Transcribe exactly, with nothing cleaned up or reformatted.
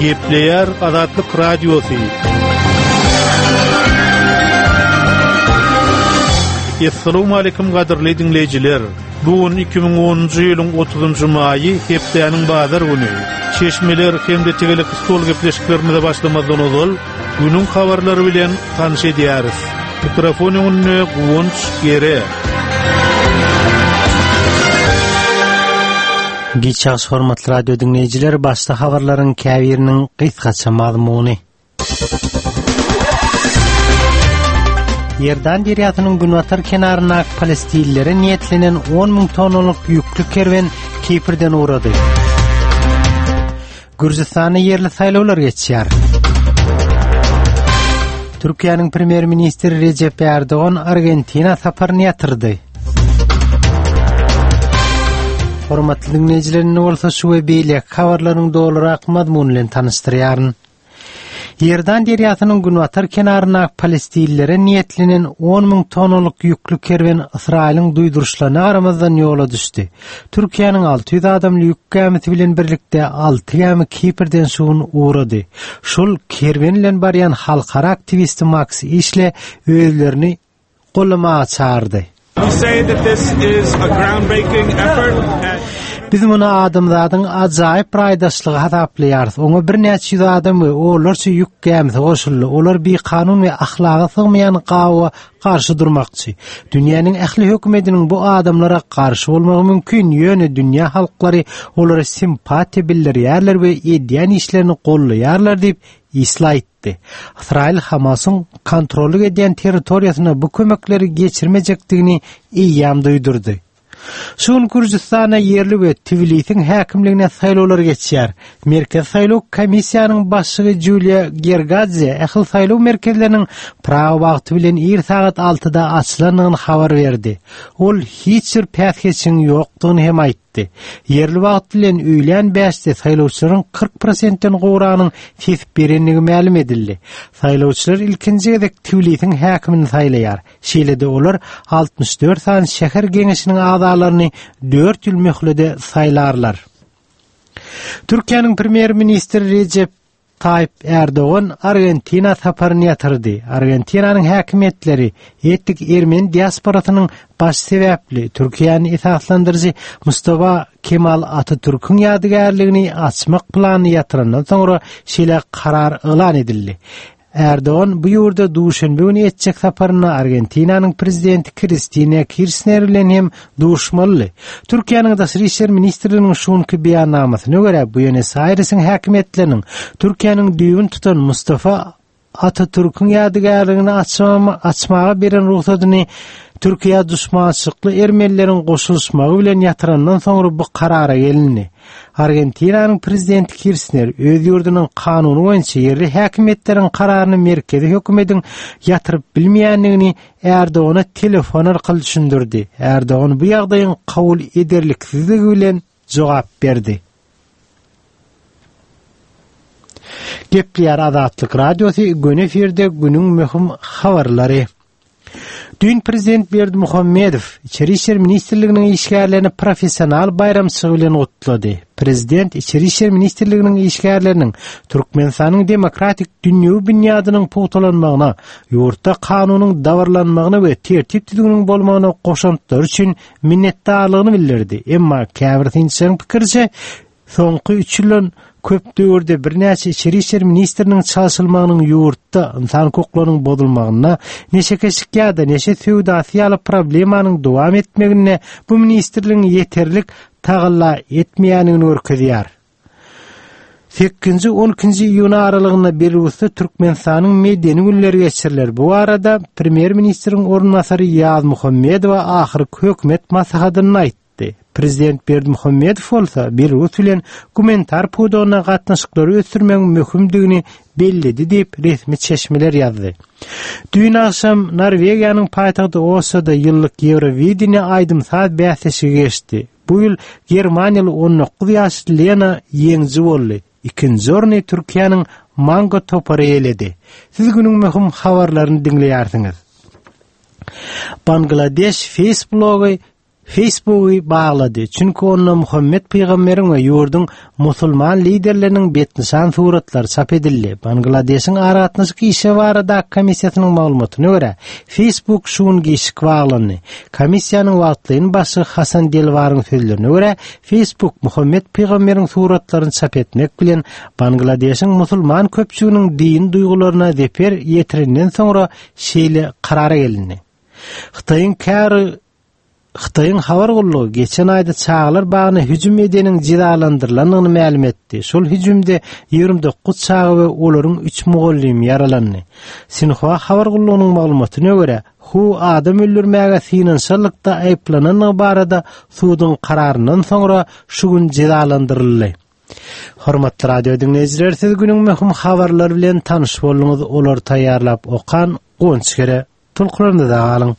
Gepleýär Azatlyk Radiosy. Essalamu aleýkum gadyrly diňleýjiler. Bu gün iki müň onunjy ýylyň otuzynjy maýy, hepdäniň bazar güni. Çeşmeler hem-de tegelek stol gepleşiklerimize başlamazdan ozal, günüň habarlary bilen tanyş edýäris. Mikrofon öňünde Guwanç Gere. Giç ýagşy hormatly radio diňleýjiler, başda habarlaryň käbiriniň gysgaça mazmuny. Ýerdan derýasynyň günbatar kenaryndaky palestinlilere niýetlenen on müň tonnalyk ýükli kerwen Kiprden ugrady. Gürjüstanda ýerli saýlawlar geçýär. Türkiýäniň premýer-ministri Rejep Erdogan Argentina saparyny ýatyrdy. Hormatly diňleýjiler, indi bolsa şu we beýleki habarlaryň dolurak mazmuny bilen tanyşdyrýaryn. Ýerdan derýasynyň günbatar kenaryndaky palestinlilere niýetlenen on müň tonnalyk ýükli kerwen Ysraýylyň duýduryşlaryna garamazdan ýola düşdi. Türkiýäniň alty ýüz adamly ýük gämisi bilen birlikde alty gämi Kiprden şu gün ugrady. Şol kerwen bilen barýan halkara aktiwisti Max Işle özlerini gollamaga çağırdy. We say that this is a groundbreaking effort. Biz muny adamzadyň ajaýyp raýdaşlygy hasaplaýarys. Oňa birnäçe ýüz adam we onlarça ýük gämisi goşuldy. Olar bikanun we ahlaga sygmaýan gawa garşy durmakçy. Dünýäniň ähli hökümetiniň bu adamlara garşy bolmagy mümkin, ýöne dünýä halklary olara simpatiýa bildirýärler we edýän işlerini gollaýarlar diýip Isla aýtdy. Ysraýyl Hamasyň kontrollyk edýän territoriýasyna bu kömekleri geçirmejekdigini eýýäm duýdurdy. Şu gün Gürjüstanda ýerli we Tbilisiň häkimligine saýlawlar geçýär. Merkezi saýlaw komissiýanyň başlygy Juliýa Gergadze ähli saýlaw merkezleriniň prawa wagty bilen ir sagat altyda açylandygyny habar berdi. Ol hiç bir päsgelçiligiň ýokdugyny hem aýtdy. Ýerli wagt bilen öýlän bäşde saýlawçylaryň kyrk prosentden gowragynyň ses berendigi mälim edildi. Saýlawçylar ilkinji gezek Tbilisiň häkimini saýlaýar. Şeýle-de olar altmyş dört sany şäher geňeşiniň agzalaryny dört ýyl möhlede saýlarlar. Türkiýäniň premýer-ministri Rejep Tayyip Erdogan Argentina saparyny ýatyrdy. Argentinanyň häkimiýetleri etnik ermeni diasporasynyň baş sebäpli Türkiýäni esaslandyryjy Mustafa Kemal Atatürk'ün ýadygärligini açmak planyny ýatyrandan soňra şeýle karar yglan edildi. Erdogan bu ýurda duşenbe güni etjek saparyna Argentinanyň prezidenti Kristina Kirchner bilen hem duşmaly. Türkiýäniň Daşary İşler Ministrliginiň şunky beýannamasyna görä Buenos Aires'iň häkimiýetleriniň Türkiýäniň düýbün tutan Mustafa Atatürk'ün ýadygärligini açma-, açmaga beren ruhsatyny Türkiýä duşmançylykly ermenileriň goşulyşmagy bilen ýatyrandan soňra bu karara gelindi. Argentinanyň prezidenti Kirchner öz ýurdunyň kanuny boýunça ýerli häkimiýetleriň kararyny merkezi hökümetiň ýatyryp bilmeýändigini Erdogana telefon arkaly düşündirdi. Erdogan bu ýagdaýyň kabul ederliksizligi bilen jogap berdi. Gepleýär Azatlyk Radiosy, göni efirde günüň möhüm habarlary. Dün Prezident Berdimuhamedow İçeri İşler Ministrliginiň işgärlerini professional baýramçylygy bilen gutlady. Prezident İçeri İşler Ministrliginiň işgärleriniň Türkmenistanyň demokratik dünýewi binýadynyň pugtalanmagyna, ýurtda kanunyň dabarlanmagyna we tertip düzgüniniň bolmagyna goşantlary üçin minnetdarlygyny bildirdi. Emma käbir synçylaryň pikiriçe, soňky üç ýyldan köp döwürde birnäçe İçeri İşler Ministriniň çalşylmagynyň ýurtda insan hukuklarynyň bozulmagyna, neşekeşlik ýa-da neşe söwdasy ýaly problemanyň dowam etmegine bu ministrligiň ýeterlik tagalla etmeýändigini görkezýär. Sekizinji, on ikinji iýun aralygynda Belarusda Türkmenistanyň medeni günleri geçiriler. Bu arada Premýer-ministriň orunbasary Ýaz Muhammedowa ahyrky hökümet maslahatynda aýtdy. Prezident Berdimuhamedow bolsa Belarus bilen gumanitar pudagyna gatnaşyklary ösdürmegiň möhümdigini belledi diýip resmi çeşmeler ýazdy. Düýn agşam Norwegiýanyň paýtagty Osloda ýyllyk Eurovision aýdym-saz bäsleşigi geçdi. Bu ýyl Germaniýaly on dokuz ýaşly Lena ýeňiji boldy. Ikinji orny Türkiýäniň Mango topary eýeledi. Siz günüň möhüm habarlaryny diňleýärsiňiz. Bangladeş Facebook blogy Facebooky baglady. Çünki onda Muhammed pygamberiň we ýurduň musulman liderleriniň betnyşan suratlary çap edildi. Bangladeşiň aragatnaşyk işi barada komissiýasynyň maglumatyna görä, Facebook şu gün giçlik baglandy. Komissiýanyň wagtlaýyn başlygy Hasan Delwaryň sözlerine görä, Facebook Muhammed pygamberiň suratlaryny çap etmek bilen Bangladeşiň musulman köpçüliginiň din duýgularyna zeper ýetirenden soňra şeýle karara gelindi. Hytaýyň kär Hytaýyň habar gullugy geçen aýda çagalar bagyna hüjüm edeniň jezalandyrylandygyny mälim etdi. Şol hüjümde ýigrimi dokuz çaga we olaryň üç mugallymy ýaralandy. Sinhua habar gullugynyň maglumatyna görä, Hu adam öldürmäge synanyşanlykda aýyplanandygy barada suduň kararyndan soňra şu gün jezalandyryldy. Hormatly radio diňleýjiler, siz günüň möhüm habarlary bilen tanyş bolduňyz. Olary taýýarlap okan Guwanç Kere. Tolkunlarynda galyň.